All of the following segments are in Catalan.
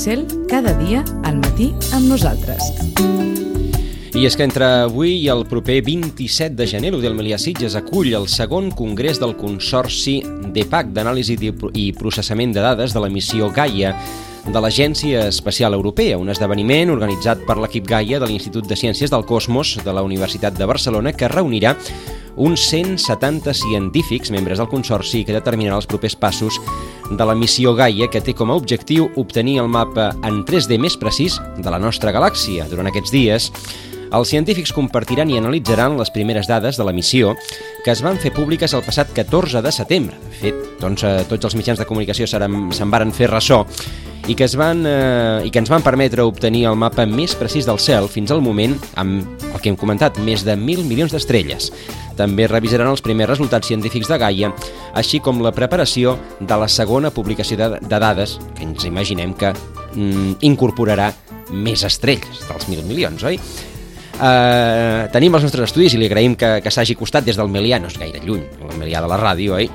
cel cada dia al matí amb nosaltres. I és que entre avui i el proper 27 de gener l'Udel Melià Sitges acull el segon congrés del Consorci DEPAC d'Anàlisi i Processament de Dades de la missió Gaia de l'Agència Espacial Europea, un esdeveniment organitzat per l'equip Gaia de l'Institut de Ciències del Cosmos de la Universitat de Barcelona que reunirà uns 170 científics, membres del Consorci, que determinarà els propers passos de la missió Gaia, que té com a objectiu obtenir el mapa en 3D més precís de la nostra galàxia. Durant aquests dies, els científics compartiran i analitzaran les primeres dades de la missió que es van fer públiques el passat 14 de setembre. De fet, tots els mitjans de comunicació se'n varen fer ressò i que ens van permetre obtenir el mapa més precís del cel fins al moment amb el que hem comentat, més de 1.000 milions d'estrelles. També revisaran els primers resultats científics de Gaia, així com la preparació de la segona publicació de dades, que ens imaginem que incorporarà més estrelles dels 1.000 milions, oi? Tenim els nostres estudis i li agraïm que s'hagi costat des del Melià, no és gaire lluny, el Melià de la ràdio, oi?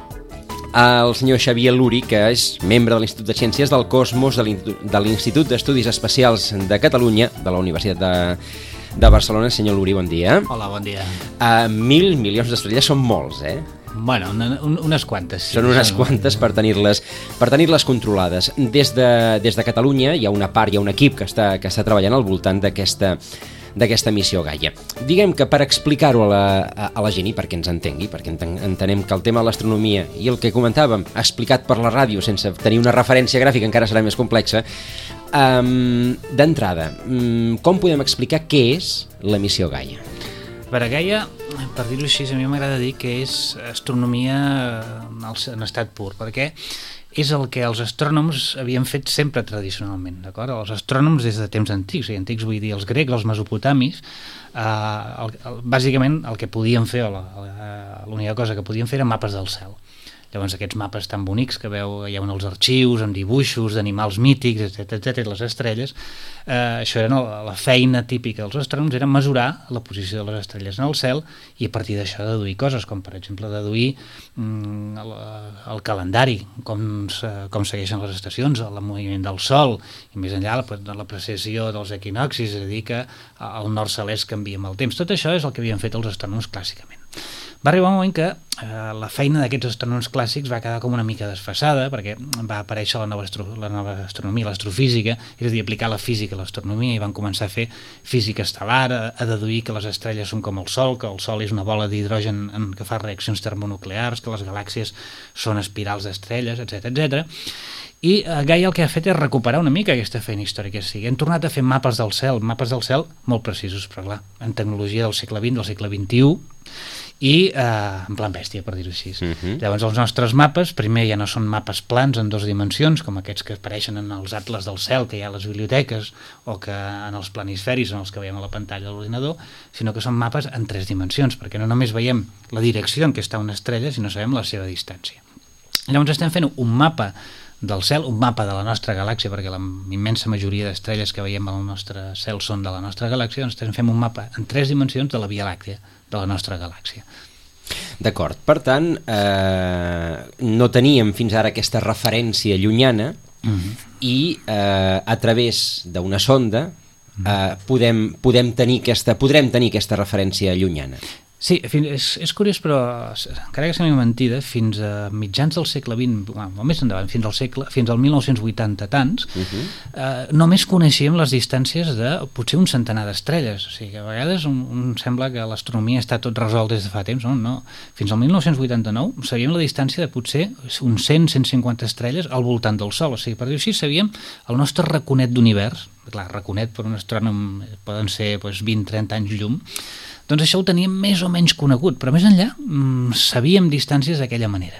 El senyor Xavier Luri, que és membre de l'Institut de Ciències del Cosmos de l'Institut d'Estudis Espacials de Catalunya, de la Universitat de Barcelona. Senyor Luri, bon dia. Hola, bon dia. 1.000 milions d'estrelles són molts, eh? Bueno, unes quantes. Sí, són unes quantes per tenir-les controlades. Des de Catalunya hi ha una part, hi ha un equip que està treballant al voltant d'aquesta missió Gaia. Diguem que per explicar-ho a la gent i perquè ens entengui, perquè entenem que el tema de l'astronomia i el que comentàvem, explicat per la ràdio sense tenir una referència gràfica encara serà més complexa, d'entrada, com podem explicar què és la missió Gaia? Per a Gaia, per dir-ho així, a mi m'agrada dir que és astronomia en estat pur, perquè és el que els astrònoms havien fet sempre tradicionalment, d'acord? Els astrònoms des de temps antics, i antics vull dir els grecs, els mesopotamis, bàsicament el que podien fer, l'única cosa que podien fer eren mapes del cel. Llavors aquests mapes tan bonics que hi ha els arxius amb dibuixos d'animals mítics, etc, les estrelles, això era la feina típica dels astrònoms, era mesurar la posició de les estrelles en el cel i a partir d'això deduir coses, com per exemple deduir el calendari, com segueixen les estacions, el moviment del sol i més enllà la precisió dels equinoccis, és a dir que el nord celest canvia amb el temps. Tot això és el que havien fet els astrònoms clàssicament. Va arribar un moment que la feina d'aquests astrònoms clàssics va quedar com una mica desfasada perquè va aparèixer la nova astronomia, l'astrofísica, és a dir, aplicar la física a l'astronomia i van començar a fer física estel·lar, a deduir que les estrelles són com el Sol, que el Sol és una bola d'hidrogen que fa reaccions termonuclears, que les galàxies són espirals d'estrelles, etc. I Gaia el que ha fet és recuperar una mica aquesta feina històrica. Hem tornat a fer mapes del cel molt precisos, però clar, en tecnologia del segle XX, del segle XXI, i en plan bèstia, per dir-ho així. Llavors els nostres mapes, primer ja no són mapes plans en 2 dimensions, com aquests que apareixen en els atles del cel que hi ha a les biblioteques o que en els planisferis en els que veiem a la pantalla de l'ordinador, sinó que són mapes en 3 dimensions, perquè no només veiem la direcció en què està una estrella, sinó sabem la seva distància. Llavors estem fent un mapa del cel, un mapa de la nostra galàxia, perquè la immensa majoria d'estrelles que veiem al nostre cel són de la nostra galàxia, doncs estem fent un mapa en 3 dimensions de la Via Làctea, de la nostra galàxia. D'acord, per tant, no teníem fins ara aquesta referència llunyana i a través d'una sonda podrem tenir aquesta referència llunyana. Sí, és curiós, però encara que sembli mentida, fins a mitjans del segle XX, o més endavant, fins al 1980 tants, només coneixíem les distàncies de potser un centenar d'estrelles. O sigui que a vegades sembla que l'astronomia està tot resolt des de fa temps. No. Fins al 1989 sabíem la distància de potser uns 100-150 estrelles al voltant del Sol. O sigui, per dir-ho així, sabíem el nostre raconet d'univers. Clar, raconet per un astrònom poden ser 20-30 anys llum. Doncs això ho teníem més o menys conegut, però més enllà sabíem distàncies d'aquella manera.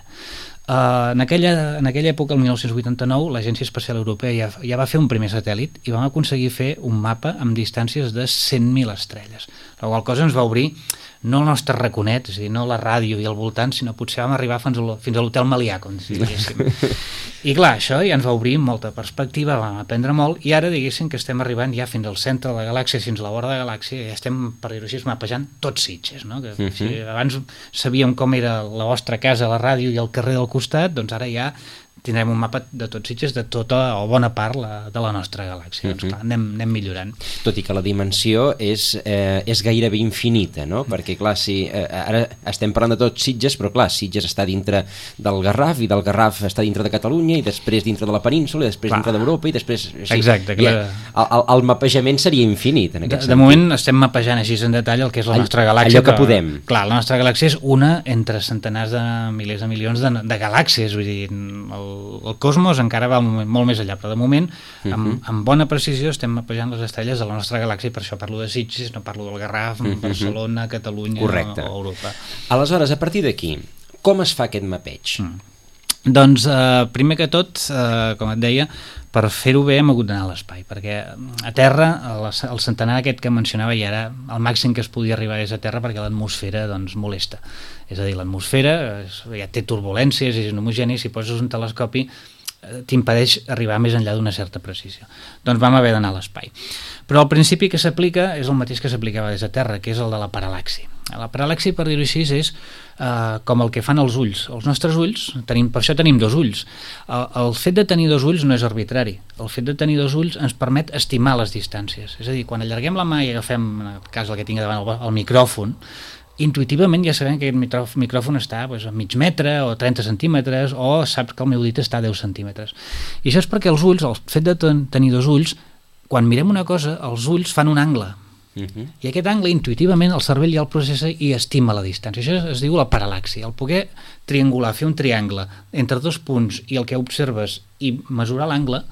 En aquella època, el 1989, l'Agència Espacial Europea ja va fer un primer satèl·lit i vam aconseguir fer un mapa amb distàncies de 100.000 estrelles. La qual cosa ens va obrir no el nostre raconet, és a dir, no la ràdio i al voltant, sinó potser vam arribar fins a l'Hotel Melià, com si diguéssim. I clar, això ja ens va obrir molta perspectiva, vam aprendre molt, i ara diguéssim que estem arribant ja fins al centre de la galàxia, fins a la vora de la galàxia, i ja estem, per dir-ho així, mapejant tots Sitges, no? Que, si abans sabíem com era la vostra casa, la ràdio i el carrer del costat, doncs ara ja tindrem un mapa de tot Sitges, de tota o bona part de la nostra galàxia. Doncs clar, anem millorant. Tot i que la dimensió és gairebé infinita, no? Perquè clar, ara estem parlant de tot Sitges, però clar, Sitges està dintre del Garraf, i del Garraf està dintre de Catalunya, i després dintre de la península, i després dintre d'Europa, i després... Exacte. El mapejament seria infinit, en aquest sentit. De moment estem mapejant així en detall el que és la nostra galàxia. Allò que podem. Clar, la nostra galàxia és una entre centenars de milers de milions de galàxies, vull dir, el cosmos encara va molt més allà, però de moment, amb bona precisió, estem mapejant les estrelles de la nostra galàxia, i per això parlo de Sitges, no parlo del Garraf, Barcelona, Catalunya o Europa. Aleshores, a partir d'aquí, com es fa aquest mapeig? Doncs, primer que tot, com et deia, per fer-ho bé hem hagut d'anar a l'espai, perquè a Terra, el centenar aquest que mencionava ja era el màxim que es podia arribar és a Terra, perquè l'atmosfera doncs, molesta. És a dir, l'atmosfera ja té turbulències, és inhomogeni, si poses un telescopi t'impedeix arribar més enllà d'una certa precisió. Doncs vam haver d'anar a l'espai. Però el principi que s'aplica és el mateix que s'aplicava des de Terra, que és el de la paral·laxi. La paral·laxi, per dir-ho així, és com el que fan els ulls. Els nostres ulls, per això tenim dos ulls. El fet de tenir dos ulls no és arbitrari. El fet de tenir dos ulls ens permet estimar les distàncies. És a dir, quan allarguem la mà i agafem, en el cas el que tinc davant, el micròfon, intuïtivament ja sabem que aquest micròfon està a mig metre o 30 centímetres, o saps que el meu dit està a 10 centímetres. I això és perquè els ulls, el fet de tenir dos ulls, quan mirem una cosa, els ulls fan un angle. I aquest angle intuïtivament el cervell ja el processa i estima la distància. Això es diu la paral·laxi, el poder triangular, fer un triangle entre dos punts i el que observes i mesurar l'angle,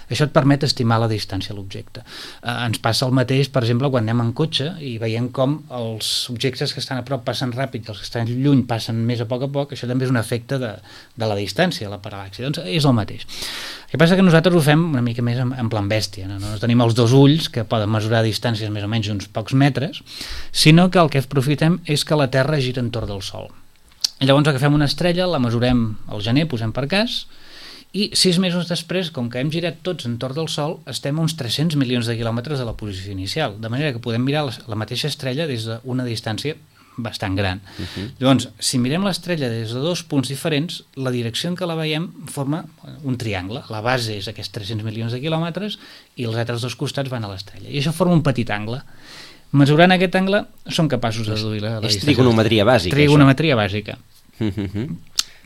això et permet estimar la distància a l'objecte. Ens passa el mateix, per exemple, quan anem en cotxe i veiem com els objectes que estan a prop passen ràpid i els que estan lluny passen més a poc, això també és un efecte de la distància, la paral·laxi. Doncs és el mateix. El que passa que nosaltres ho fem una mica més en plan bèstia, no tenim els dos ulls que poden mesurar distàncies més o menys uns pocs metres, sinó que el que aprofitem és que la Terra gira entorn del Sol. Llavors agafem una estrella, la mesurem al gener, posem per cas, i 6 mesos després, com que hem girat tots entorn del Sol, estem a uns 300 milions de quilòmetres de la posició inicial, de manera que podem mirar la mateixa estrella des d'una distància bastant gran. Llavors, si mirem l'estrella des de dos punts diferents, la direcció en què la veiem forma un triangle. La base és aquests 300 milions de quilòmetres i els altres dos costats van a l'estrella. I això forma un petit angle. Mesurant aquest angle, som capaços de deduir la distància. És trigonometria bàsica. Trigonometria bàsica.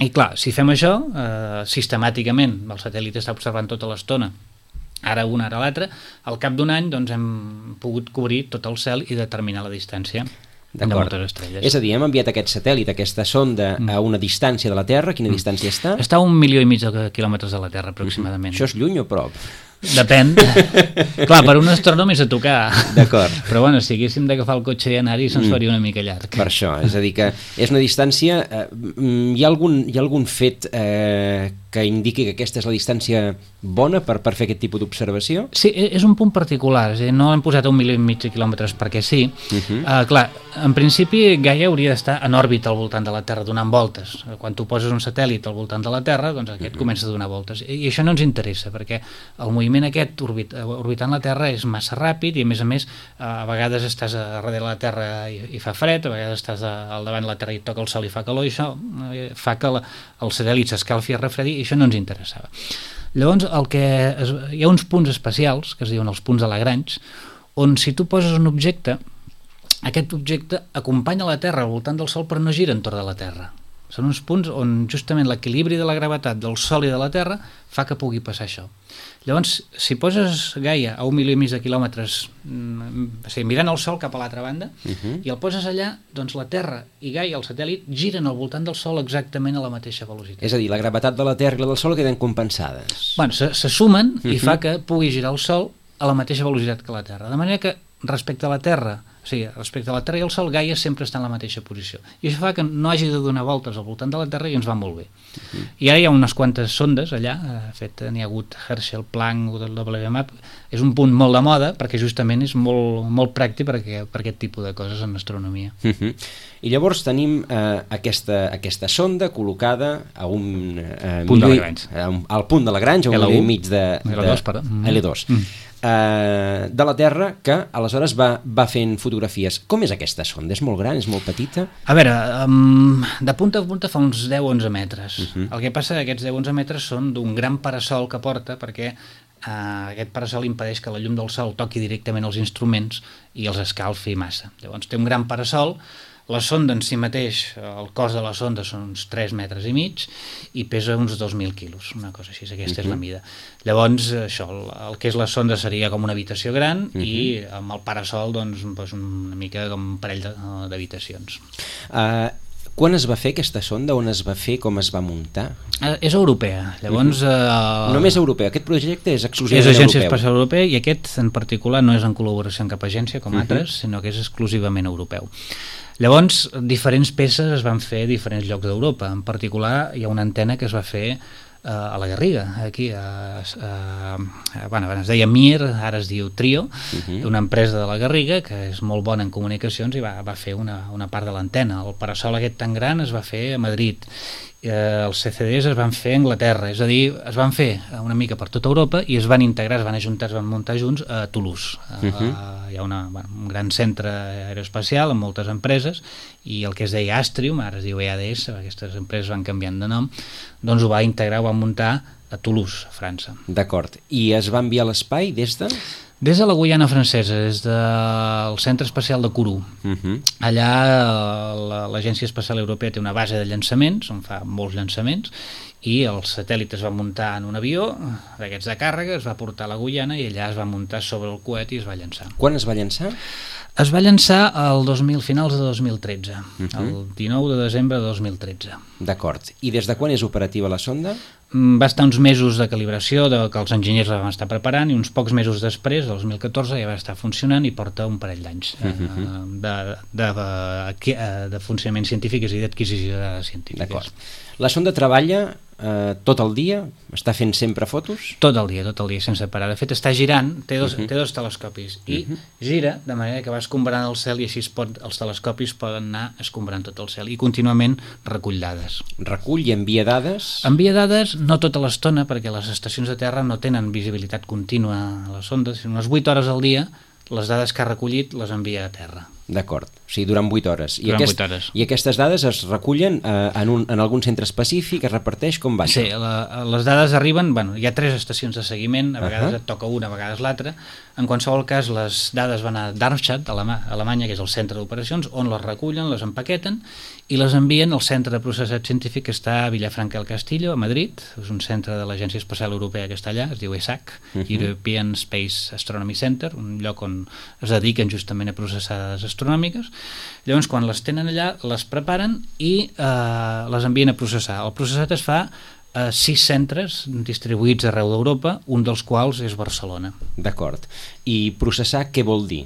I clar, si fem això, sistemàticament, el satèl·lit està observant tota l'estona, ara una, ara l'altra, al cap d'un any doncs, hem pogut cobrir tot el cel i determinar la distància de moltes estrelles. És a dir, hem enviat aquest satèl·lit, aquesta sonda, a una distància de la Terra. Quina distància està? Està a 1,5 milions de quilòmetres de la Terra, aproximadament. Això és lluny o prop? Depèn. Clar, per un astrònom és a tocar. D'acord. Però bueno, si haguéssim d'agafar el cotxe i anar-hi, se'ns faria una mica llarg. Per això, és a dir que és una distància... Hi ha algun fet que indiqui que aquesta és la distància bona per fer aquest tipus d'observació? Sí, és un punt particular. És a dir, no hem posat a 1,5 milions de quilòmetres perquè sí. Clar, en principi Gaia hauria d'estar en òrbita al voltant de la Terra, donant voltes. Quan tu poses un satèl·lit al voltant de la Terra, doncs aquest comença a donar voltes. I això no ens interessa, perquè el moviment aquest orbitant la Terra és massa ràpid i a més a vegades estàs a darrere la Terra i fa fred, a vegades estàs al davant de la Terra i toca el sol i fa calor, i això fa que el satèl·lit s'escalfi i refredi, i això no ens interessava. Llavors hi ha uns punts especials que es diuen els punts de Lagrange, on si tu poses un objecte, aquest objecte acompanya la Terra al voltant del Sol però no gira entorn de la Terra. Són uns punts on justament l'equilibri de la gravetat del Sol i de la Terra fa que pugui passar això. Llavors, si poses Gaia a 1,5 milions de quilòmetres, mirant el Sol cap a l'altra banda, i el poses allà, doncs la Terra i Gaia, el satèl·lit, giren al voltant del Sol exactament a la mateixa velocitat. És a dir, la gravetat de la Terra i la del Sol queden compensades. Bueno, se sumen i fa que pugui girar el Sol a la mateixa velocitat que la Terra. De manera que respecte a la Terra, respecte a la Terra i el Sol, Gaia sempre està en la mateixa posició. I això fa que no hagi de donar voltes al voltant de la Terra i ens va molt bé. I ara hi ha unes quantes sondes allà, n'hi ha hagut Herschel, Planck, WMAP, és un punt molt de moda perquè justament és molt pràctic per aquest tipus de coses en astronomia. I llavors tenim aquesta sonda col·locada a un punt de Lagrange. Al punt de Lagrange, a 1,5 milió de L2. de la Terra que aleshores va fent fotografies. Com és aquesta sonda? És molt gran? És molt petita? A veure, de punta a punta fa uns 10-11 metres. El que passa que aquests 10-11 metres són d'un gran parasol que porta, perquè aquest parasol impedeix que la llum del sol toqui directament els instruments i els escalfi massa. Llavors té un gran parasol. La sonda en si mateix, el cos de la sonda són uns 3 metres i mig i pesa uns 2.000 quilos, una cosa així, aquesta és la mida. Llavors, això, el que és la sonda seria com una habitació gran i amb el parasol, doncs, una mica com un parell d'habitacions. Quan es va fer aquesta sonda? On es va fer? Com es va muntar? És europea. Llavors... Només europea. Aquest projecte és exclusivament europeu. És Agència europeu. Espacial Europea i aquest en particular no és en col·laboració amb cap agència com altres, sinó que és exclusivament europeu. Llavors, diferents peces es van fer a diferents llocs d'Europa. En particular, hi ha una antena que es va fer a la Garriga, aquí, es deia Mir, ara es diu Trio, una empresa de la Garriga que és molt bona en comunicacions i va fer una part de l'antena. El parasol aquest tan gran es va fer a Madrid, els CCDs es van fer a Anglaterra, és a dir, es van fer una mica per tota Europa i es van integrar, es van ajuntar, es van muntar junts a Toulouse. Hi ha un gran centre aeroespacial amb moltes empreses i el que es deia Astrium, ara es diu EADS, aquestes empreses van canviant de nom, doncs ho va integrar, ho va muntar a Toulouse, a França. D'acord. I es va enviar a l'espai des de...? Des de la Guyana francesa, des del Centre Espacial de Kourou. Allà l'Agència Espacial Europea té una base de llançaments, on fa molts llançaments, i el satèl·lit es va muntar en un avió d'aquests de càrrega, es va portar a la Guyana i allà es va muntar sobre el coet i es va llançar. Quan es va llançar? Es va llançar finals de 2013, el 19 de desembre de 2013. D'acord. I des de quan és operativa la sonda? Va estar uns mesos de calibració que els enginyers la van estar preparant i uns pocs mesos després, el 2014, ja va estar funcionant i porta un parell d'anys de funcionament científic, és a dir, d'adquisició de dades científiques. D'acord. La sonda treballa tot el dia? Està fent sempre fotos? Tot el dia, sense parar. De fet, està girant, té dos telescopis i gira de manera que va escombrant el cel i així els telescopis poden anar escombrant tot el cel i contínuament recull dades. Recull i envia dades? Envia dades no tota l'estona, perquè les estacions de terra no tenen visibilitat contínua a les sondes, sinó unes 8 hores al dia les dades que ha recollit les envia a terra. D'acord, o sigui, durant 8 hores. I aquestes dades es recullen en algun centre específic, es reparteix, com va això? Sí, les dades arriben, hi ha 3 estacions de seguiment, a vegades et toca una, a vegades l'altra. En qualsevol cas, les dades van a Darmstadt, a Alemanya, que és el centre d'operacions, on les recullen, les empaqueten i les envien al centre de processat científic que està a Villafranca del Castillo, a Madrid. És un centre de l'Agència Espacial Europea que està allà, es diu ESAC, European Space Astronomy Center, un lloc on es dediquen justament a processar dades astronòmiques. Llavors, quan les tenen allà, les preparen i les envien a processar. El processat es fa a 6 centres distribuïts arreu d'Europa, un dels quals és Barcelona. D'acord. I processar què vol dir?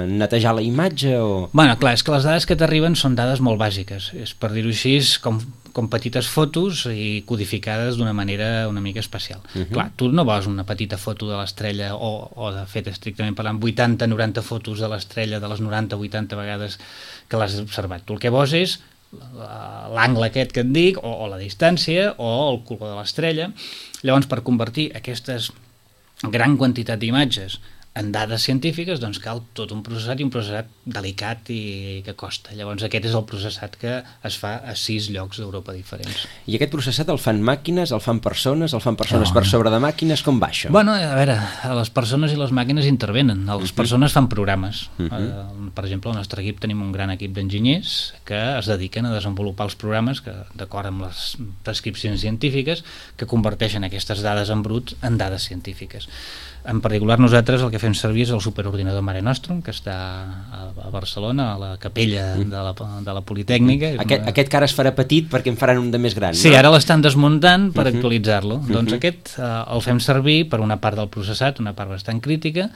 Netejar la imatge o...? Bueno, clar, és que les dades que t'arriben són dades molt bàsiques. És, per dir-ho així, com petites fotos i codificades d'una manera una mica especial. Clar, tu no veus una petita foto de l'estrella o de fet, estrictament parlant, 80-90 fotos de l'estrella de les 90-80 vegades que l'has observat. Tu el que veus és l'angle aquest que et dic, o la distància, o el color de l'estrella. Llavors, per convertir aquestes gran quantitat d'imatges en dades científiques, doncs cal tot un processat i un processat delicat i que costa. Llavors aquest és el processat que es fa a 6 llocs d'Europa diferents. I aquest processat el fan màquines, el fan persones per sobre de màquines, com va això? Bueno, a veure, les persones i les màquines intervenen, les persones fan programes. Per exemple, al nostre equip tenim un gran equip d'enginyers que es dediquen a desenvolupar els programes que, d'acord amb les prescripcions científiques, que converteixen aquestes dades en brut en dades científiques. En particular, nosaltres el que fem servir és el superordinador Mare Nostrum, que està a Barcelona, a la capella de la Politècnica. Aquest que ara es farà petit perquè en faran un de més gran, sí, no? Ara l'estan desmuntant per actualitzar-lo. Doncs aquest el fem servir per una part del processat, una part bastant crítica.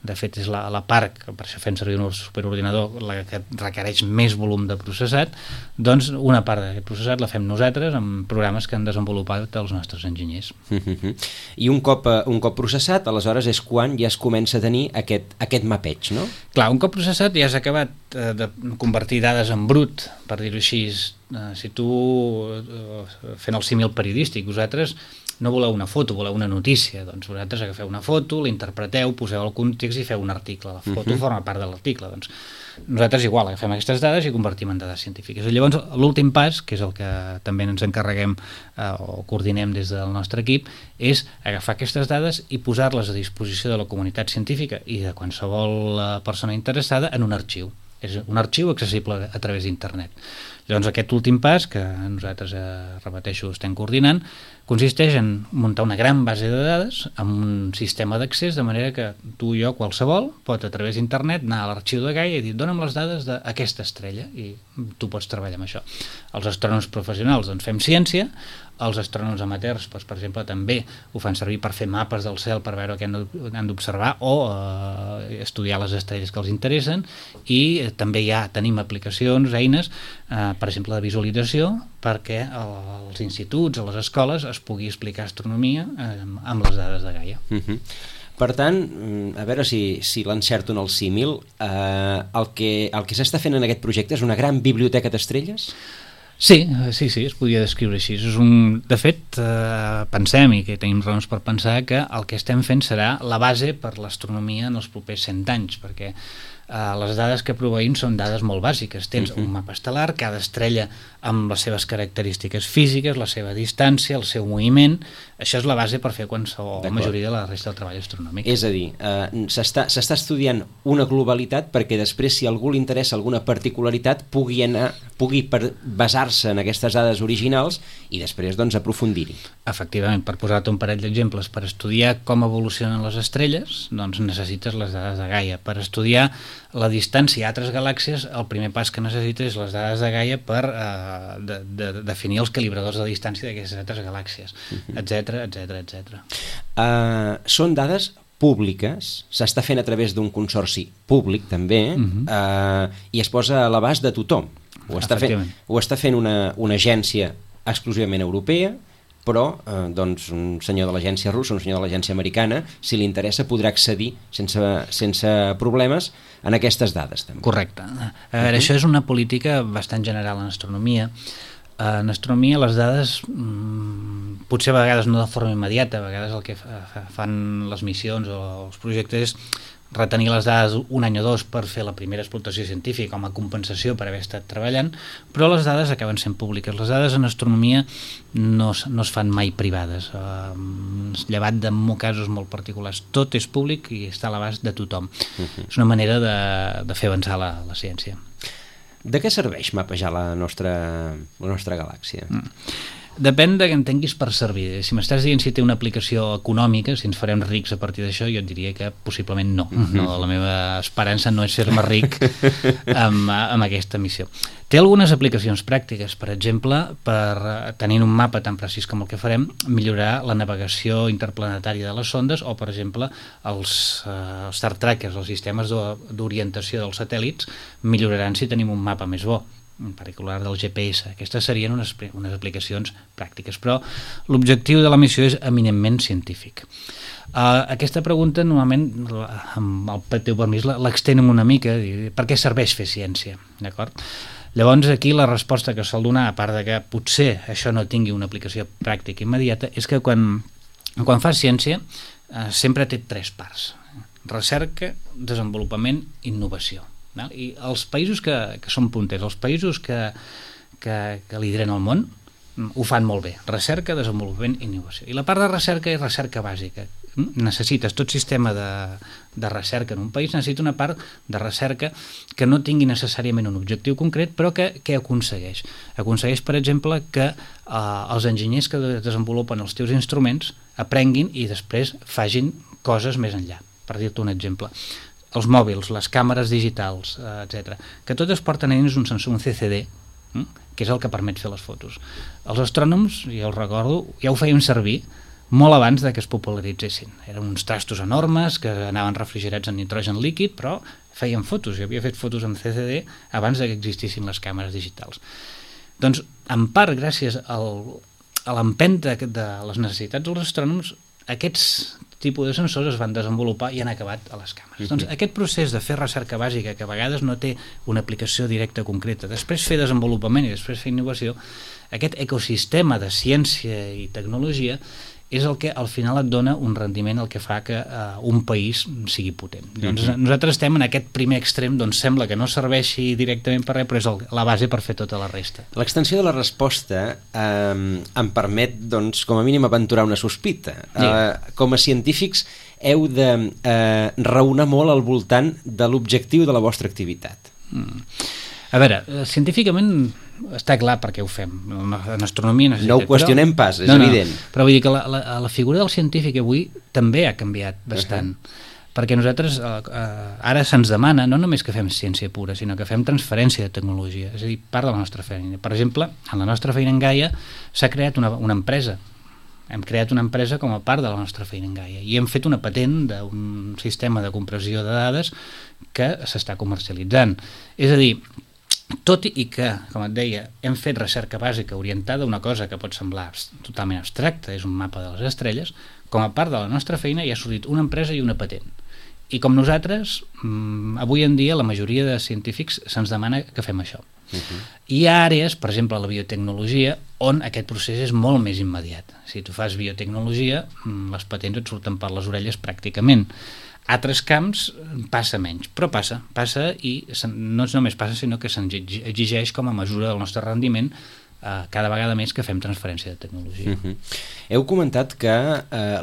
De fet, és la part, que per això fem servir un superordinador, la que requereix més volum de processat. Doncs una part d'aquest processat la fem nosaltres amb programes que han desenvolupat els nostres enginyers. I un cop processat, aleshores és quan ja es comença a tenir aquest mapeig, no? Clar, un cop processat ja has acabat de convertir dades en brut, per dir-ho així, si tu, fent el símil periodístic, vosaltres no voleu una foto, voleu una notícia, doncs vosaltres agafeu una foto, l'interpreteu, poseu el context i feu un article. La foto forma part de l'article. Doncs nosaltres igual agafem aquestes dades i convertim en dades científiques. I llavors l'últim pas, que és el que també ens encarreguem o coordinem des del nostre equip, és agafar aquestes dades i posar-les a disposició de la comunitat científica i de qualsevol persona interessada en un arxiu. És un arxiu accessible a través d'internet. Llavors aquest últim pas, que nosaltres, repeteixo, estem coordinant, consisteix en muntar una gran base de dades amb un sistema d'accés, de manera que tu i jo, qualsevol, pot a través d'internet anar a l'arxiu de Gaia i dir dona'm les dades d'aquesta estrella, i tu pots treballar amb això. Els astrònoms professionals doncs fem ciència, els astrònoms amateurs, doncs, per exemple, també ho fan servir per fer mapes del cel per veure què han d'observar o estudiar les estrelles que els interessen, i també tenim aplicacions, eines, per exemple, de visualització, perquè als instituts, a les escoles, es pugui explicar astronomia amb les dades de Gaia. Per tant, a veure si l'encerto en el símil, el que s'està fent en aquest projecte és una gran biblioteca d'estrelles? Sí, es podria descriure així. De fet, pensem, i que tenim raons per pensar, que el que estem fent serà la base per l'astronomia en els propers 100 anys, perquè les dades que proveïm són dades molt bàsiques. Tens un mapa estel·lar, cada estrella amb les seves característiques físiques, la seva distància, el seu moviment. Això és la base per fer la majoria de la resta del treball astronòmic. És a dir, s'està estudiant una globalitat perquè després, si a algú li interessa alguna particularitat, pugui basar-se en aquestes dades originals i després doncs aprofundir-hi. Efectivament, per posar-te un parell d'exemples, per estudiar com evolucionen les estrelles, doncs necessites les dades de Gaia. Per estudiar la distància a altres galàxies, el primer pas que necessites és les dades de Gaia per definir els calibradors de distància d'aquestes altres galàxies, etc. Són dades públiques, s'està fent a través d'un consorci públic també, i es posa a l'abast de tothom. Ho està fent una agència exclusivament europea, però doncs, un senyor de l'agència russa, un senyor de l'agència americana, si li interessa podrà accedir sense problemes en aquestes dades també. Correcte. A veure, això és una política bastant general en astronomia. En astronomia les dades, potser a vegades no de forma immediata, a vegades el que fan les missions o els projectes és retenir les dades un any o dos per fer la primera explotació científica com a compensació per haver estat treballant, però les dades acaben sent públiques. Les dades en astronomia no es fan mai privades, llevat de casos molt particulars. Tot és públic i està a l'abast de tothom. És una manera de fer avançar la ciència. De què serveix mapejar la nostra galàxia? Depèn de què entenguis per servir. Si m'estàs dient si té una aplicació econòmica, si ens farem rics a partir d'això, jo et diria que possiblement no. La meva esperança no és fer-me ric amb aquesta missió. Té algunes aplicacions pràctiques, per exemple, per tenint un mapa tan precís com el que farem, millorar la navegació interplanetària de les sondes o, per exemple, els Star Trackers, els sistemes d'orientació dels satèl·lits, milloraran si tenim un mapa més bo, en particular del GPS. Aquestes serien unes aplicacions pràctiques, però l'objectiu de la missió és eminentment científic. Aquesta pregunta normalment, amb el teu permís, l'extenem una mica, per què serveix fer ciència, d'acord? Llavors aquí la resposta que sol donar, a part de que potser això no tingui una aplicació pràctica immediata, és que quan fas ciència sempre té tres parts: recerca, desenvolupament, innovació. I els països que són punters, els països que lideren el món, ho fan molt bé: recerca, desenvolupament i innovació. I la part de recerca és recerca bàsica. Necessites tot sistema de recerca en un país, necessita una part de recerca que no tingui necessàriament un objectiu concret, però que aconsegueix. Aconsegueix, per exemple, que els enginyers que desenvolupen els teus instruments aprenguin i després facin coses més enllà. Per dir-te un exemple, els mòbils, les càmeres digitals, etc., que totes porten a dins un sensor, un CCD, que és el que permet fer les fotos. Els astrònoms, ja us recordo, ja ho feien servir molt abans de que es popularitzessin. Eren uns trastos enormes que anaven refrigerats en nitrogen líquid, però feien fotos. Jo havia fet fotos amb CCD abans de que existissin les càmeres digitals. Doncs, en part, gràcies a l'empenta de les necessitats dels astrònoms, aquests tipus de sensors es van desenvolupar i han acabat a les càmeres. Doncs aquest procés de fer recerca bàsica, que a vegades no té una aplicació directa concreta, després fer desenvolupament i després fer innovació, aquest ecosistema de ciència i tecnologia és el que al final et dona un rendiment, el que fa que un país sigui potent. Doncs nosaltres estem en aquest primer extrem, doncs sembla que no serveixi directament per res, però és la base per fer tota la resta. L'extensió de la resposta em permet, doncs, com a mínim aventurar una sospita. Com a científics heu de raonar molt al voltant de l'objectiu de la vostra activitat. A veure, científicament està clar per què ho fem. En astronomia necessita... No ho qüestionem pas, és evident. Però vull dir que la figura del científic avui també ha canviat bastant. Perquè nosaltres ara se'ns demana no només que fem ciència pura, sinó que fem transferència de tecnologia, és a dir, part de la nostra feina. Per exemple, en la nostra feina en Gaia s'ha creat una empresa. Hem creat una empresa com a part de la nostra feina en Gaia i hem fet una patent d'un sistema de compressió de dades que s'està comercialitzant. És a dir, tot i que, com et deia, hem fet recerca bàsica orientada a una cosa que pot semblar totalment abstracta, és un mapa de les estrelles, com a part de la nostra feina hi ha sortit una empresa i una patent. I com nosaltres, avui en dia la majoria de científics se'ns demana que fem això. Hi ha àrees, per exemple la biotecnologia, on aquest procés és molt més immediat. Si tu fas biotecnologia, les patents et surten per les orelles pràcticament. Altres camps passa menys, però passa i no només passa, sinó que se'ns exigeix com a mesura del nostre rendiment cada vegada més que fem transferència de tecnologia. Heu comentat que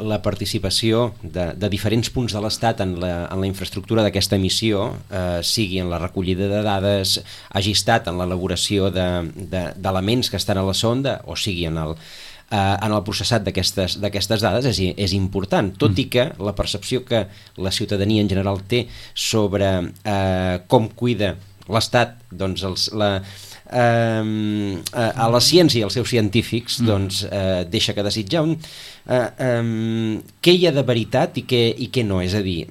la participació de diferents punts de l'Estat en la infraestructura d'aquesta missió, sigui en la recollida de dades, hagi estat en l'elaboració d'elements que estan a la sonda, o sigui en el processat d'aquestes dades és important, tot i que la percepció que la ciutadania en general té sobre com cuida l'Estat doncs a la ciència i als seus científics doncs deixa que desitjar. Què hi ha de veritat i què no? És a dir,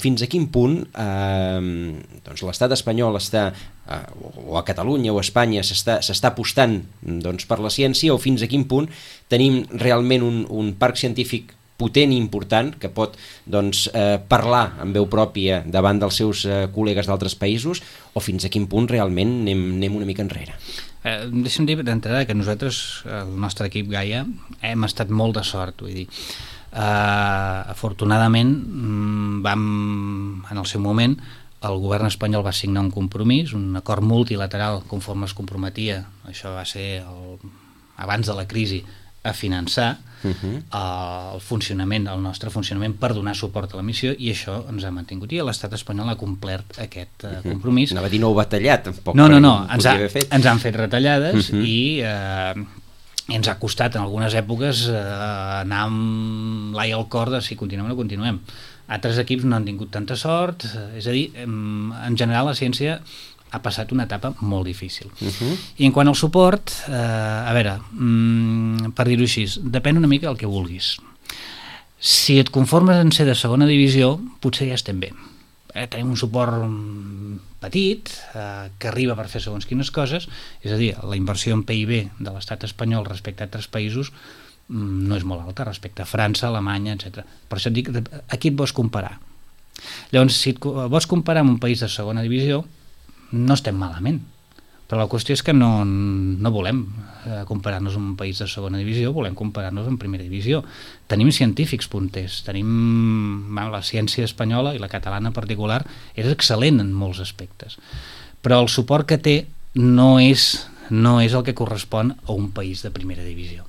fins a quin punt doncs l'Estat espanyol està o a Catalunya o a Espanya s'està apostant doncs, per la ciència, o fins a quin punt tenim realment un parc científic potent i important que pot doncs, parlar amb veu pròpia davant dels seus col·legues d'altres països, o fins a quin punt realment anem una mica enrere? Deixa'm dir d'entrada que nosaltres, el nostre equip Gaia, hem estat molt de sort, vull dir, afortunadament en el seu moment el govern espanyol va signar un compromís, un acord multilateral conforme es comprometia, això va ser abans de la crisi, a finançar el nostre funcionament per donar suport a la missió, i això ens ha mantingut, i l'estat espanyol ha complert aquest compromís. Anava a dir no ho va tallar tampoc. No, ens han fet retallades i ens ha costat en algunes èpoques anar amb l'ai al cor de si continuem o no continuem. Altres equips no han tingut tanta sort, és a dir, en general la ciència ha passat una etapa molt difícil. I en quant al suport, a veure, per dir-ho així, depèn una mica del que vulguis. Si et conformes en ser de segona divisió, potser ja estem bé. Tenim un suport petit, que arriba per fer segons quines coses, és a dir, la inversió en PIB de l'estat espanyol respecte a altres països no és molt alta, respecte a França, Alemanya, etc. Per això et dic, a qui et vols comparar? Llavors, si et vols comparar amb un país de segona divisió, no estem malament, però la qüestió és que no volem comparar-nos amb un país de segona divisió, volem comparar-nos amb primera divisió. Tenim científics punters, la ciència espanyola i la catalana en particular és excel·lent en molts aspectes, però el suport que té no és el que correspon a un país de primera divisió.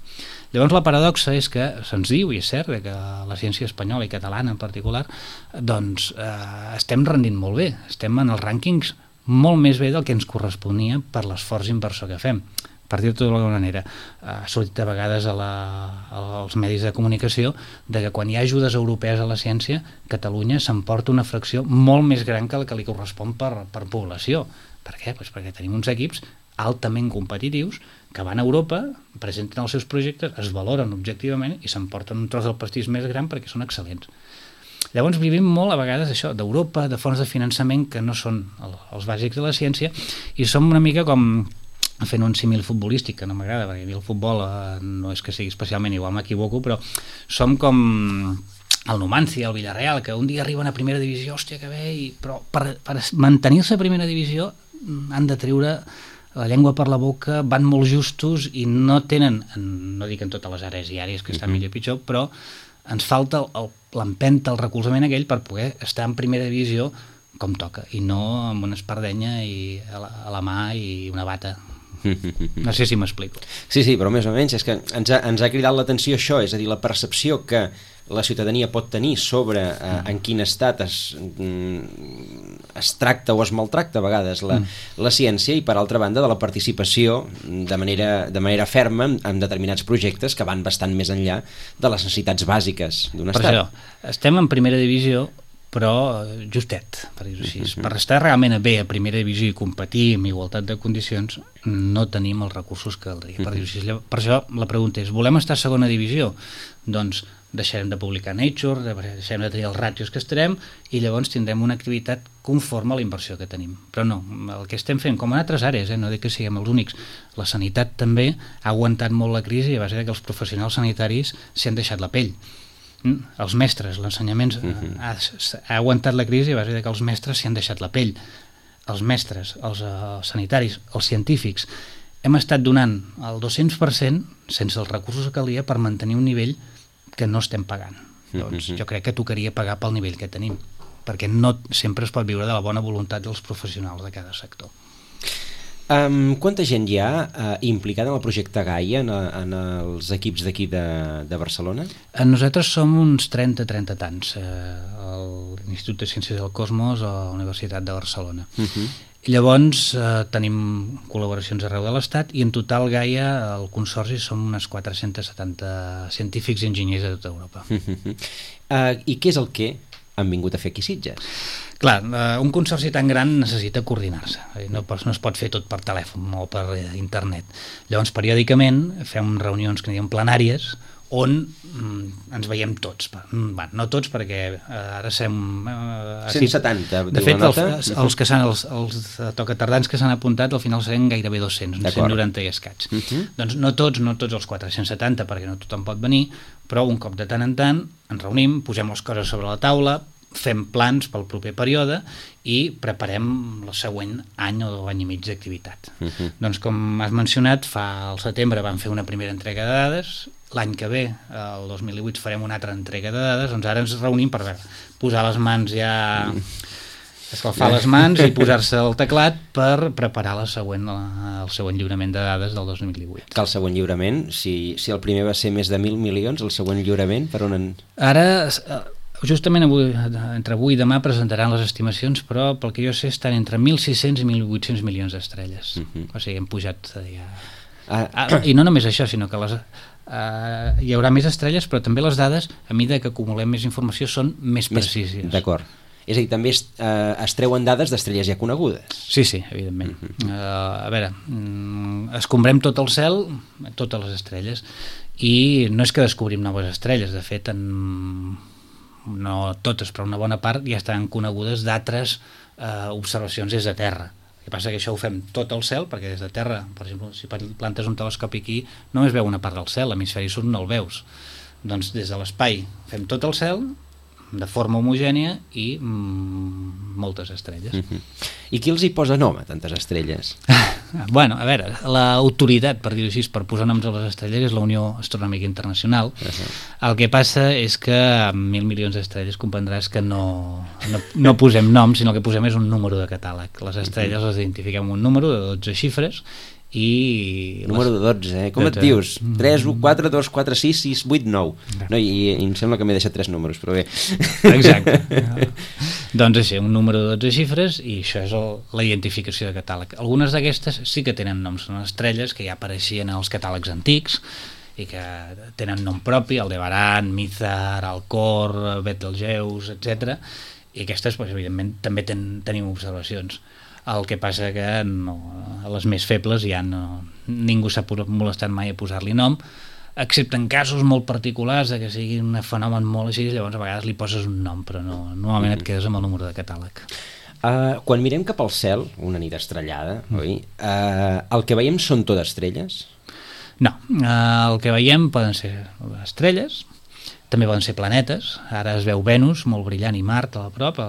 Llavors la paradoxa és que se'ns diu, i és cert, que la ciència espanyola i catalana en particular doncs estem rendint molt bé, estem en els rànquings molt més bé del que ens corresponia per l'esforç inversor que fem. Per dir-ho d'alguna manera, ha sortit a vegades als medis de comunicació de que quan hi ha ajudes europees a la ciència, Catalunya s'emporta una fracció molt més gran que la que li correspon per població. Per què? Doncs perquè tenim uns equips altament competitius que van a Europa, presenten els seus projectes, es valoren objectivament i s'emporten un tros del pastís més gran perquè són excel·lents. Llavors vivim molt a vegades això d'Europa, de fons de finançament que no són els bàsics de la ciència, i som una mica com, fent un símil futbolístic que no m'agrada perquè a mi el futbol no és que sigui especialment igual, m'equivoco, però som com el Numancia, el Villarreal, que un dia arriben a primera divisió, hòstia, que bé, però per mantenir-se a primera divisió han de treure la llengua per la boca, van molt justos i no tenen, no dic en totes les àrees diàries que estan millor o pitjor, però ens falta l'empenta, el recolzament aquell per poder estar en primera divisió com toca, i no amb una espardenya a la mà i una bata. No sé si m'explico. Sí, sí, però més o menys és que ens ha cridat l'atenció això, és a dir, la percepció que la ciutadania pot tenir sobre en quin estat es tracta o es maltracta a vegades la ciència, i per altra banda de la participació de manera ferma en determinats projectes que van bastant més enllà de les necessitats bàsiques d'un estat. Per això, estem en primera divisió, però justet, per dir-ho així. Per estar realment bé a primera divisió i competir amb igualtat de condicions, no tenim els recursos que caldria, per dir-ho així. Per això la pregunta és, volem estar a segona divisió? Doncs deixarem de publicar Nature, deixarem de tenir els ràtios que estarem, i llavors tindrem una activitat conforme a la inversió que tenim. Però no, el que estem fent, com en altres àrees, no dic que siguem els únics, la sanitat també ha aguantat molt la crisi a base que els professionals sanitaris s'hi han deixat la pell. Els mestres, l'ensenyament ha aguantat la crisi a base que els mestres s'hi han deixat la pell. Els mestres, els sanitaris, els científics, hem estat donant el 200% sense els recursos que calia per mantenir un nivell que no estem pagant. Doncs jo crec que tocaria pagar pel nivell que tenim, perquè no sempre es pot viure de la bona voluntat dels professionals de cada sector. Quanta gent hi ha implicada en el projecte Gaia en els equips d'aquí de Barcelona? Nosaltres som uns 30 tants, a l'Institut de Ciències del Cosmos a la Universitat de Barcelona. Llavors tenim col·laboracions arreu de l'Estat, i en total Gaia, el consorci, som unes 470 científics i enginyers de tota Europa. I què és el que han vingut a fer aquí a Sitges? Clar, un consorci tan gran necessita coordinar-se, no es pot fer tot per telèfon o per internet. Llavors, periòdicament fem reunions que en diem plenàries, on ens veiem tots. No tots, perquè ara som... 170, de fet, els tocatardans que s'han apuntat al final seran gairebé 200, 190 i escaig. Doncs no tots els 470, perquè no tothom pot venir, però un cop de tant en tant ens reunim, posem les coses sobre la taula, fem plans pel proper període i preparem el següent any o any i mig d'activitat. Doncs com has mencionat, al setembre vam fer una primera entrega de dades, l'any que ve, el 2018, farem una altra entrega de dades, doncs ara ens reunim per posar les mans ja... escalfar les mans i posar-se al teclat per preparar el següent lliurament de dades del 2018. Que el següent lliurament, si el primer va ser més de 1.000 milions, el següent lliurament per on... Ara... Justament entre avui i demà presentaran les estimacions, però pel que jo sé estan entre 1.600 i 1.800 milions d'estrelles. O sigui, hem pujat ja... I no només això, sinó que hi haurà més estrelles, però també les dades, a mesura que acumulem més informació, són més precises. D'acord. És a dir, també es treuen dades d'estrelles ja conegudes. Sí, evidentment. A veure, escombrem tot el cel, totes les estrelles, i no és que descobrim noves estrelles, de fet, no totes, però una bona part ja estan conegudes d'altres observacions des de terra. El que passa que això ho fem tot el cel, perquè des de terra, per exemple, si plantes un telescopi aquí, només veu una part del cel, l'hemisferi sud no el veus. Doncs des de l'espai fem tot el cel, de forma homogènia, i moltes estrelles. I qui els hi posa nom a tantes estrelles? Bueno, a veure, l'autoritat, per dir-ho així, per posar noms a les estrelles és la Unió Astronòmica Internacional. El que passa és que amb 1.000 milions d'estrelles comprendràs que no posem noms, sinó que posem és un número de catàleg. Les estrelles les identifiquem amb un número de 12 xifres, i... Número de 12, Com et dius? 3, 1, 4, 2, 4, 6, 6, 8, 9. No, i em sembla que m'he deixat 3 números, però bé. Exacte. Doncs així, un número de 12 xifres, i això és la identificació de catàleg. Algunes d'aquestes sí que tenen noms, són estrelles que ja apareixien en els catàlegs antics i que tenen nom propi, Aldebaran, Mizar, Alcor, Betelgeuse, etc. I aquestes, evidentment, també tenim observacions. El que passa que a les més febles ja ningú s'ha molestat mai a posar-li nom, excepte en casos molt particulars que sigui un fenomen molt així, llavors a vegades li poses un nom, però normalment et quedes amb el número de catàleg. Quan mirem cap al cel, una nit estrellada, oi? El que veiem són tot estrelles? No, el que veiem poden ser estrelles, També poden ser planetes, ara es veu Venus, molt brillant, i Mart a la prop,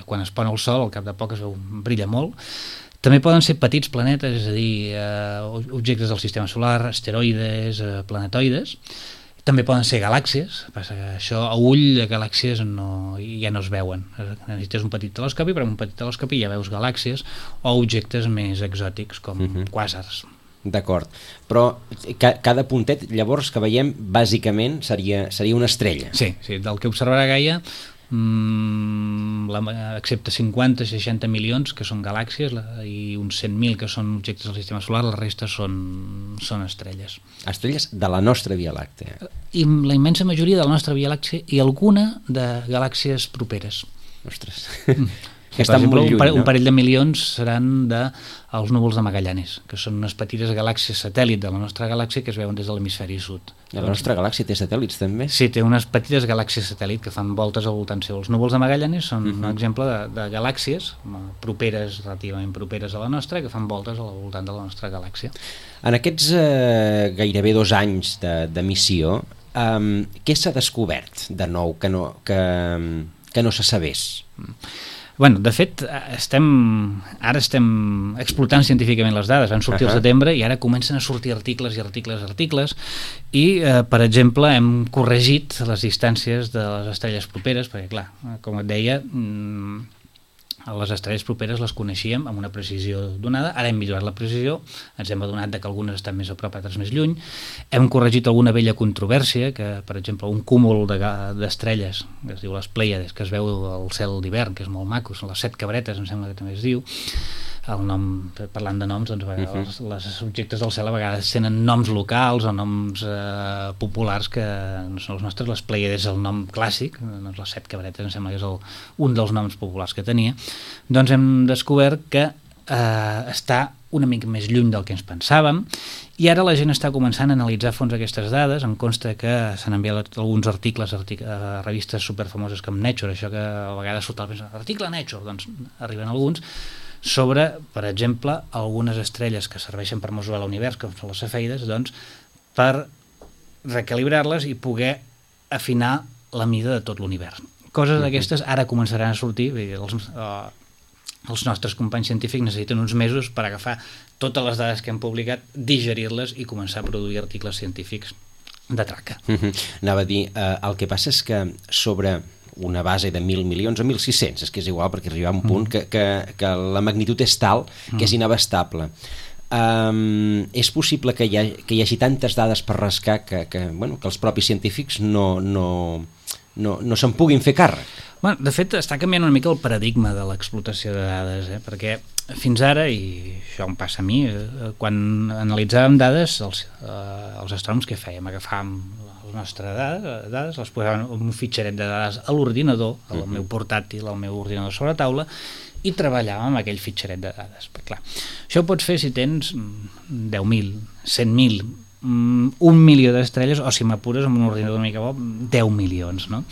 quan es pon el Sol, al cap de poc es veu, brilla molt. També poden ser petits planetes, és a dir, objectes del sistema solar, asteroides, planetoides. També poden ser galàxies, passa que això a ull de galàxies ja no es veuen. Necessites un petit telescopi, però amb un petit telescopi ja veus galàxies o objectes més exòtics com quàsars. D'acord, però cada puntet llavors que veiem bàsicament seria una estrella. Sí, del que observarà Gaia, excepte 50-60 milions que són galàxies i uns 100.000 que són objectes del sistema solar, la resta són estrelles. Estrelles de la nostra Via Làctea. I la immensa majoria de la nostra Via Làctea i alguna de galàxies properes. Ostres... Per exemple, un parell de milions seran dels núvols de Magallanes, que són unes petites galàxies satèl·lit de la nostra galàxia que es veuen des de l'hemisferi sud. La nostra galàxia té satèl·lits també? Sí, té unes petites galàxies satèl·lit que fan voltes al voltant seu. Els núvols de Magallanes són un exemple de galàxies properes, relativament properes a la nostra, que fan voltes al voltant de la nostra galàxia. En aquests gairebé 2 anys de missió, què s'ha descobert de nou que no se sabés? Bueno, de fet, ara estem explotant científicament les dades. Van sortir al setembre i ara comencen a sortir articles i, per exemple, hem corregit les distàncies de les estrelles properes, perquè, clar, com et deia, les estrelles properes les coneixíem amb una precisió donada, ara hem millorat la precisió, ens hem adonat que algunes estan més a prop, altres més lluny, hem corregit alguna vella controvèrsia, que per exemple un cúmul d'estrelles, que es diu les Plèiades, que es veu al cel d'hivern, que és molt maco, són les 7 cabretes, em sembla que també es diu, el nom, parlant de noms, doncs, els objectes del cel a vegades tenen noms locals o noms populars que no són els nostres. Les Plèiades és el nom clàssic, doncs les 7 cabretes em sembla que és un dels noms populars que tenia. Doncs hem descobert que està una mica més lluny del que ens pensàvem i ara la gent està començant a analitzar a fons aquestes dades. Em consta que s'han enviat alguns articles a revistes superfamoses com Nature, això que a vegades surt l'article Nature, doncs arriben alguns, sobre, per exemple, algunes estrelles que serveixen per mesurar l'univers, com són les cefeides, doncs, per recalibrar-les i poder afinar la mida de tot l'univers. Coses d'aquestes ara començaran a sortir, els nostres companys científics necessiten uns mesos per agafar totes les dades que hem publicat, digerir-les i començar a produir articles científics de traca. Anava a dir, el que passa és que sobre una base de 1.000 milions o 1.600, és que és igual perquè arriba a un punt que la magnitud és tal que és inabastable. És possible que hi hagi tantes dades per rascar que els propis científics no se'n puguin fer càrrec? Bueno, de fet, està canviant una mica el paradigma de l'explotació de dades, perquè fins ara, i això em passa a mi, quan analitzàvem dades, els astrònoms què fèiem? Agafàvem les nostres dades, les posàvem en un fitxeret de dades a l'ordinador, al meu portàtil, al meu ordinador sobre taula, i treballàvem amb aquell fitxeret de dades. Però, clar, això ho pots fer si tens 10.000, 100.000, 1 milió d'estrelles, o si m'apures amb un ordinador una mica bo, 10 milions, no?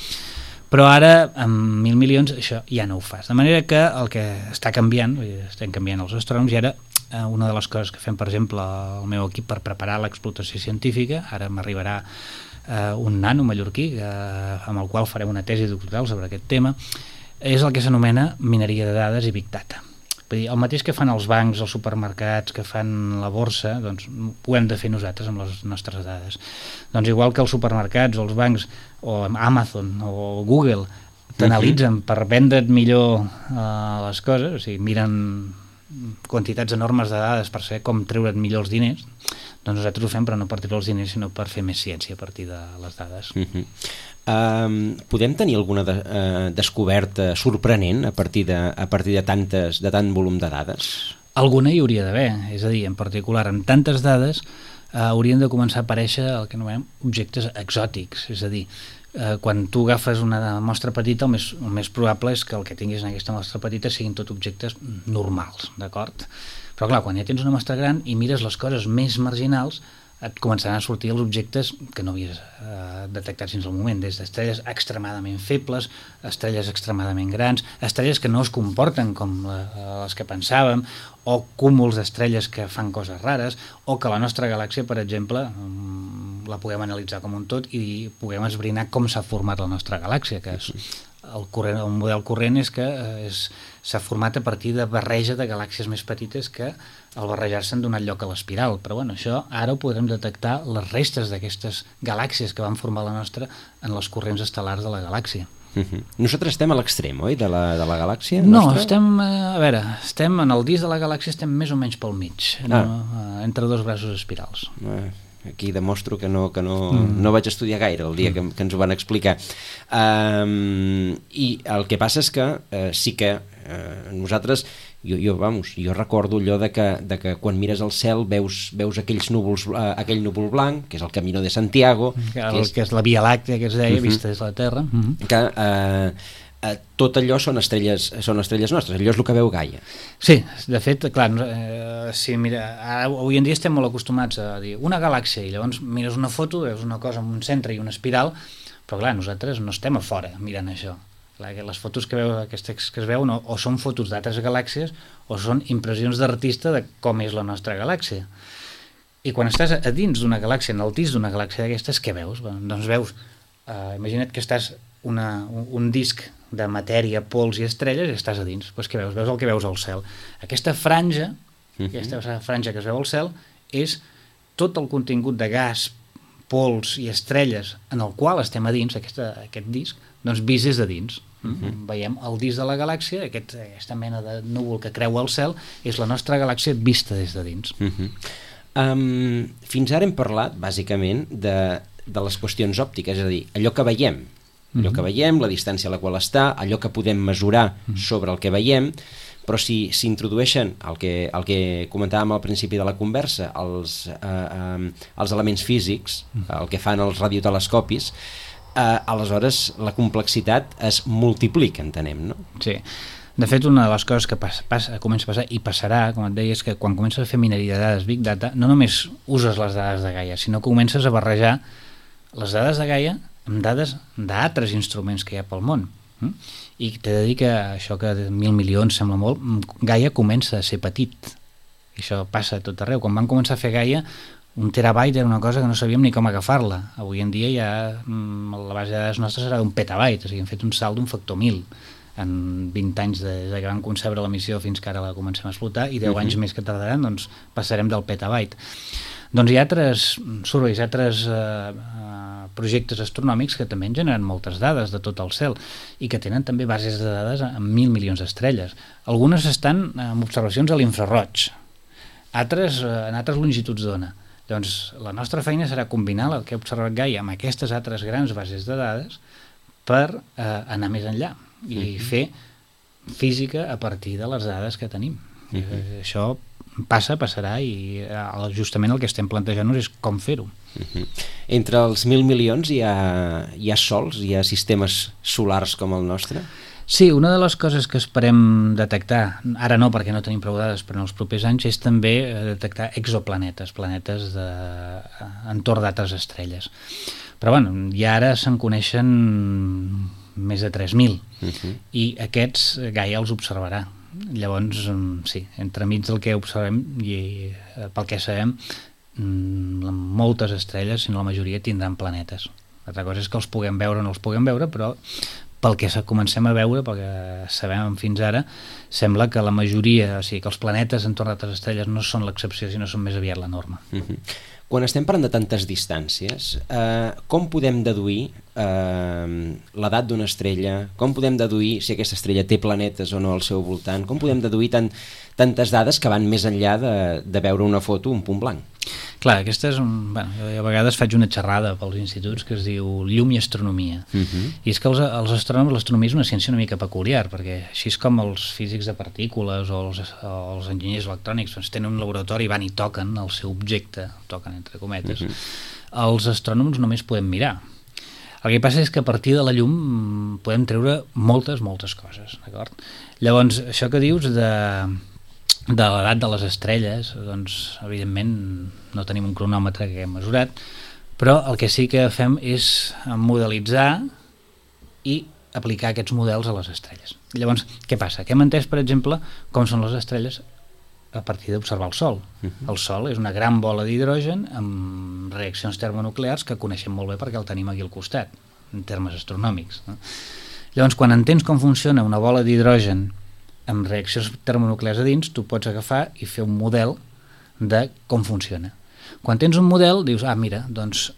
Però ara, amb 1.000 milions, això ja no ho fas. De manera que el que està canviant, estem canviant els astrònoms, i ara una de les coses que fem, per exemple, el meu equip per preparar l'explotació científica, ara m'arribarà un nano mallorquí amb el qual farem una tesi doctoral sobre aquest tema, és el que s'anomena mineria de dades i Big Data. Vull dir, el mateix que fan els bancs, els supermercats, que fan la borsa, doncs ho hem de fer nosaltres amb les nostres dades. Doncs igual que els supermercats o els bancs o Amazon o Google t'analitzen per vendre't millor les coses, o sigui, miren quantitats enormes de dades per saber com treure't millor els diners, doncs nosaltres ho fem però no per treure els diners sinó per fer més ciència a partir de les dades. Podem tenir alguna descoberta sorprenent a partir de tant volum de dades? Alguna hi hauria d'haver, és a dir, en particular amb tantes dades haurien de començar a aparèixer el que anomenem objectes exòtics, és a dir, quan tu agafes una mostra petita el més probable és que el que tinguis en aquesta mostra petita siguin tot objectes normals, d'acord? Però clar, quan ja tens una mostra gran i mires les coses més marginals et començaran a sortir els objectes que no havies detectat fins al moment, des d'estrelles extremadament febles, estrelles extremadament grans, estrelles que no es comporten com les que pensàvem, o cúmuls d'estrelles que fan coses rares, o que la nostra galàxia, per exemple, la puguem analitzar com un tot i puguem esbrinar com s'ha format la nostra galàxia, que és el model corrent és que s'ha format a partir de barreja de galàxies més petites que al barrejar-se han donat lloc a l'espiral, però bueno, això ara ho podrem detectar les restes d'aquestes galàxies que van formar la nostra en les corrents estel·lars de la galàxia. Nosaltres estem a l'extrem, oi, de la galàxia? No, estem en el disc de la galàxia, estem més o menys pel mig, entre dos braços espirals. Aquí demostro que no vaig estudiar gaire el dia que ens ho van explicar. I el que passa és que sí que nosaltres, jo recordo allò de que quan mires al cel veus aquells núvols, aquell núvol blanc, que és el Camino de Santiago, que és la Via Làctea que es deia, vista des de la Terra, que tot allò són estrelles nostres, allò és el que veu Gaia. Sí, de fet, clar, sí, mira, ara, avui en dia estem molt acostumats a dir una galàxia i llavors mires una foto, veus una cosa amb un centre i una espiral, però clar, nosaltres no estem a fora mirant això. Clar, les fotos que es veuen o són fotos d'altres galàxies o són impressions d'artista de com és la nostra galàxia. I quan estàs a dins d'una galàxia, en el disc d'una galàxia d'aquestes, què veus? Doncs veus, imagina't que estàs un disc de matèria, pols i estrelles i estàs a dins. Doncs què veus? Veus el que veus al cel. Aquesta franja que es veu al cel és tot el contingut de gas, pols i estrelles en el qual estem a dins, aquest disc, doncs vist des de dins. Veiem el disc de la galàxia, aquesta mena de núvol que creua el cel, és la nostra galàxia vista des de dins. Fins ara hem parlat, bàsicament, de les qüestions òptiques, és a dir, allò que veiem, la distància a la qual està, allò que podem mesurar sobre el que veiem, però si s'introdueixen el que comentàvem al principi de la conversa, els elements físics, el que fan els radiotelescopis, aleshores la complexitat es multiplica, entenem, no? Sí. De fet, una de les coses que comença a passar i passarà, com et deia, és que quan comences a fer mineria de dades Big Data, no només uses les dades de Gaia, sinó que comences a barrejar les dades de Gaia amb dades d'altres instruments que hi ha pel món. I t'he de dir que això que 1.000 milions sembla molt, Gaia comença a ser petit. I això passa a tot arreu. Quan van començar a fer Gaia, 1 terabyte era una cosa que no sabíem ni com agafar-la. Avui en dia ja la base de dades nostra serà d'un petabyte, o sigui, hem fet un salt d'un factor 1.000 en 20 anys des que vam concebre la missió fins que ara la comencem a explotar, i 10 anys més que tardaran, doncs passarem del petabyte. Doncs hi ha altres surveys, altres projectes astronòmics que també generen moltes dades de tot el cel i que tenen també bases de dades amb 1.000 milions d'estrelles. Algunes estan amb observacions a l'infraroig, altres en altres longituds d'ona. Doncs la nostra feina serà combinar el que ha observat Gaia amb aquestes altres grans bases de dades per anar més enllà i fer física a partir de les dades que tenim. Això passarà i justament el que estem plantejant-nos és com fer-ho. Entre els 1.000 milions hi ha sols, hi ha sistemes solars com el nostre? Sí, una de les coses que esperem detectar, ara no perquè no tenim prou dades, però en els propers anys, és també detectar exoplanetes, planetes entorn d'altres estrelles. Però bueno, ja ara se'n coneixen més de 3.000 i aquests Gaia els observarà. Llavors, sí, entremig del que observem i pel que sabem, moltes estrelles, si no la majoria, tindran planetes. L'altra cosa és que els puguem veure o no els puguem veure, però pel que comencem a veure, pel que sabem fins ara, sembla que la majoria, o sigui, que els planetes entorn d'altres estrelles no són l'excepció, sinó són més aviat la norma. Quan estem parlant de tantes distàncies, com podem deduir l'edat d'una estrella? Com podem deduir si aquesta estrella té planetes o no al seu voltant? Com podem deduir tantes dades que van més enllà de veure una foto, un punt blanc? Clar, aquesta és bueno, jo a vegades faig una xerrada pels instituts que es diu llum i astronomia. I és que els astrònoms, l'astronomia és una ciència una mica peculiar, perquè així és com els físics de partícules o els enginyers electrònics doncs, tenen un laboratori i van i toquen el seu objecte, toquen entre cometes. Els astrònoms només podem mirar. El que passa és que a partir de la llum podem treure moltes coses, d'acord? Llavors, això que dius de l'edat de les estrelles, doncs, evidentment, no tenim un cronòmetre que hem mesurat, però el que sí que fem és modelitzar i aplicar aquests models a les estrelles. Llavors, què passa? Que hem entès, per exemple, com són les estrelles a partir d'observar el Sol. El Sol és una gran bola d'hidrogen amb reaccions termonuclears que coneixem molt bé perquè el tenim aquí al costat, en termes astronòmics. No? Llavors, quan entens com funciona una bola d'hidrogen amb reaccions termonuclears a dins, tu pots agafar i fer un model de com funciona. Quan tens un model, dius, mira, doncs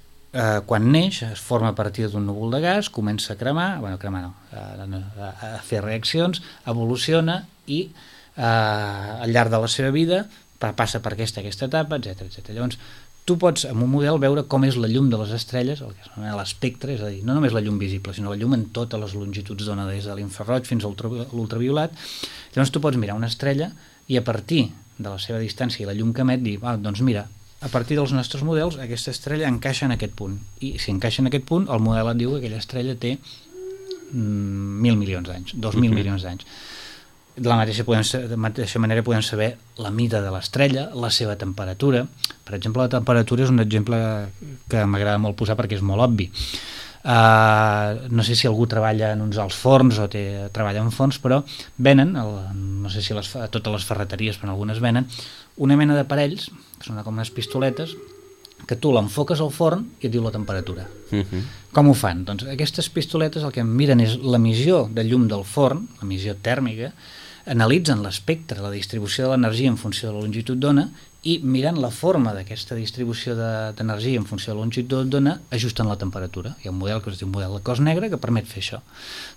quan neix es forma a partir d'un núvol de gas, comença a cremar, a fer reaccions, evoluciona i al llarg de la seva vida passa per aquesta etapa, etc. Llavors, tu pots amb un model veure com és la llum de les estrelles, el que s'anomena l'espectre, és a dir, no només la llum visible, sinó la llum en totes les longituds d'ona, des de l'infraroig fins a l'ultraviolat. Llavors tu pots mirar una estrella i a partir de la seva distància i la llum que emet dir, doncs mira, a partir dels nostres models aquesta estrella encaixa en aquest punt, i si encaixa en aquest punt el model et diu que aquella estrella té 1.000 milions d'anys, 2.000 milions d'anys. De la mateixa manera podem saber la mida de l'estrella, la seva temperatura. Per exemple, la temperatura és un exemple que m'agrada molt posar perquè és molt obvi. No sé si algú treballa en uns alts forns o treballa en forns, però venen, no sé si a totes les ferreteries, però algunes venen, una mena d'aparells, que són com unes pistoletes, que tu l'enfoques al forn i et diu la temperatura. Com ho fan? Doncs aquestes pistoletes el que miren és l'emissió de llum del forn, l'emissió tèrmica, analitzen l'espectre, la distribució de l'energia en funció de la longitud d'ona, i mirant la forma d'aquesta distribució d'energia en funció de la longitud d'ona ajusten la temperatura. Hi ha un model que es diu model de cos negre que permet fer això.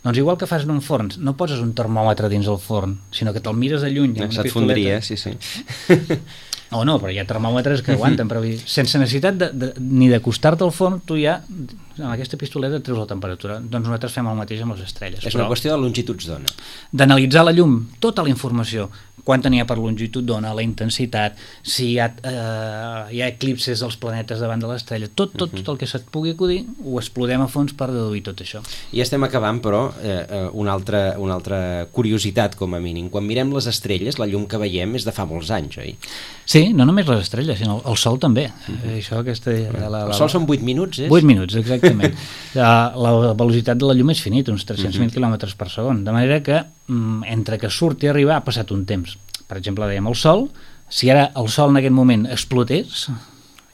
Doncs igual que fas en un forn, no poses un termòmetre dins el forn, sinó que te'l mires de lluny amb una pistoleta. Se't fondria, sí. O no, però hi ha termòmetres que aguanten, però sense necessitat ni d'acostar-te al forn, tu ja amb aquesta pistoleta treus la temperatura. Doncs nosaltres fem el mateix amb les estrelles. És una qüestió de longituds d'ona. D'analitzar la llum, tota la informació, quanta n'hi ha per longitud d'ona, la intensitat, si hi ha eclipses dels planetes davant de l'estrella, tot el que se't pugui acudir, ho explorem a fons per deduir tot això. I estem acabant, però, una altra curiositat, com a mínim. Quan mirem les estrelles, la llum que veiem és de fa molts anys, oi? Sí, no només les estrelles, sinó el Sol també. El Sol són 8 minuts, és? 8 minuts, exactament. La velocitat de la llum és finita, uns 300.000 km per segon, de manera que entre que surt i arribar ha passat un temps. Per exemple, dèiem el Sol, si ara el Sol en aquest moment explotés...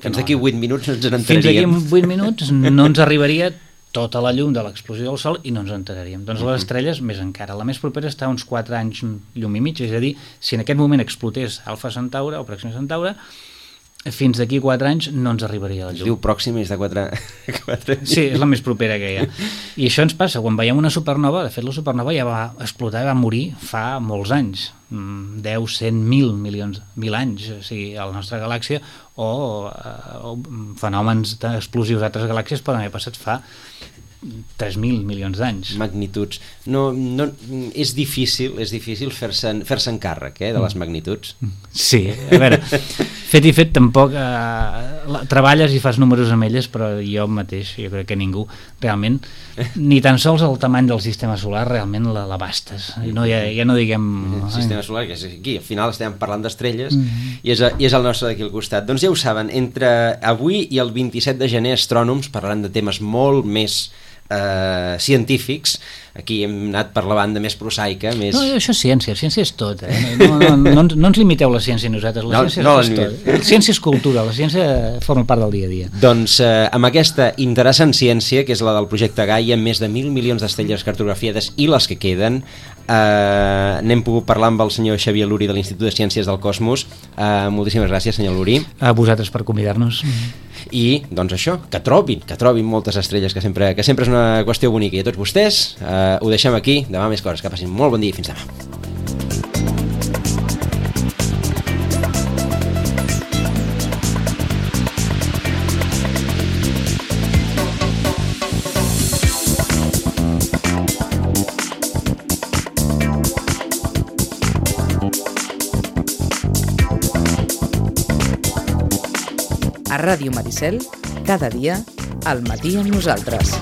Fins d'aquí 8 minuts no ens n'enteraríem. Fins d'aquí 8 minuts no ens arribaria tota la llum de l'explosió del Sol i no ens enteraríem. Doncs les estrelles, més encara. La més propera està a uns 4 anys llum i mig, és a dir, si en aquest moment explotés Alfa Centauri o Pròxima Centauri, fins d'aquí 4 anys no ens arribaria la llum. Es diu Pròxima, és de 4 anys. Sí, és la més propera que hi ha. I això ens passa quan veiem una supernova. De fet, la supernova ja va explotar i va morir fa molts anys, 10, 100, 1.000 anys, o sigui, a la nostra galàxia, o fenòmens explosius d'altres galàxies poden haver passat fa 3.000 milions d'anys. Magnituds. No, és difícil fer-se'n càrrec de les magnituds. Sí, a veure, fet i fet tampoc treballes i fas números amb elles, però jo mateix, jo crec que ningú realment, ni tan sols el tamany del sistema solar realment l'abastes. Ja no diguem... El sistema solar, que és aquí, al final estem parlant d'estrelles i és el nostre d'aquí al costat. Doncs ja ho saben, entre avui i el 27 de gener astrònoms parlaran de temes molt més científics. Aquí hem anat per la banda més prosaica, més... No, això és ciència és tot. No ens limiteu la ciència a nosaltres, la ciència és tot. La ciència és cultura, la ciència forma part del dia a dia. Doncs amb aquesta interessant ciència, que és la del projecte Gaia, amb més de 1.000 milions d'estrelles cartografiades i les que queden, n'hem pogut parlar amb el senyor Xavier Luri de l'Institut de Ciències del Cosmos. Moltíssimes gràcies, senyor Luri. A vosaltres per convidar-nos. I, doncs això, que trobin moltes estrelles, que sempre és una qüestió bonica. I a tots vostès, ho deixem aquí. Demà més coses. Que passin molt bon dia i fins demà. A Ràdio Maricel, cada dia, al matí amb nosaltres.